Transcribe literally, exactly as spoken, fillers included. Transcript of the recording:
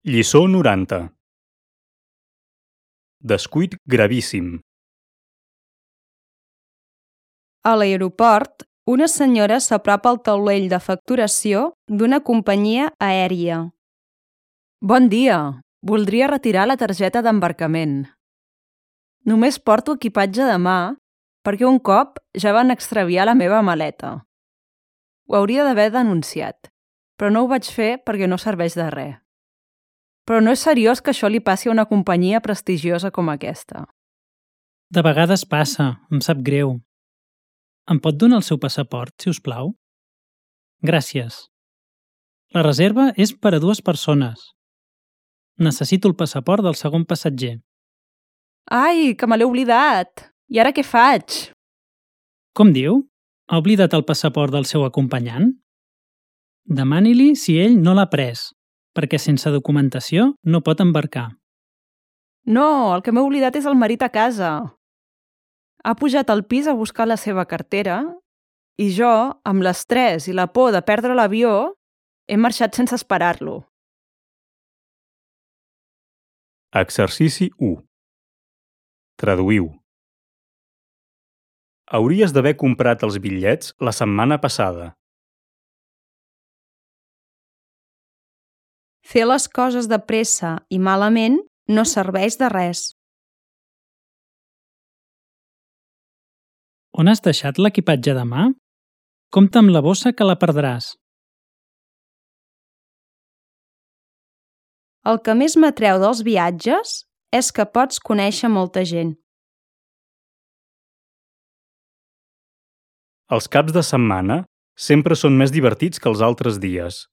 Lliçó noranta. Descuit gravíssim. A l'aeroport, una senyora s'apropa al taulell de facturació d'una companyia aèria. Bon dia, voldria retirar la targeta d'embarcament. Només porto equipatge de mà perquè un cop ja van extraviar la meva maleta. Ho hauria d'haver denunciat, però no ho vaig fer perquè no serveix de res. Però no és seriós que això li passi a una companyia prestigiosa com aquesta. De vegades passa, em sap greu. Em pot donar el seu passaport, si us plau? Gràcies. La reserva és per a dues persones. Necessito el passaport del segon passatger. Ai, que me l'he oblidat! I ara què faig? Com diu? Ha oblidat el passaport del seu acompanyant? Demani-li si ell no l'ha pres, perquè sense documentació no pot embarcar. No, el que m'he oblidat és el marit a casa. Ha pujat al pis a buscar la seva cartera i jo, amb l'estrès i la por de perdre l'avió, he marxat sense esperar-lo. Exercici u. Traduïu. Hauries d'haver comprat els bitllets la setmana passada. Fer les coses de pressa i malament no serveix de res. On has deixat l'equipatge de mà? Compte amb la bossa que la perdràs. El que més m'atreu dels viatges és que pots conèixer molta gent. Els caps de setmana sempre són més divertits que els altres dies.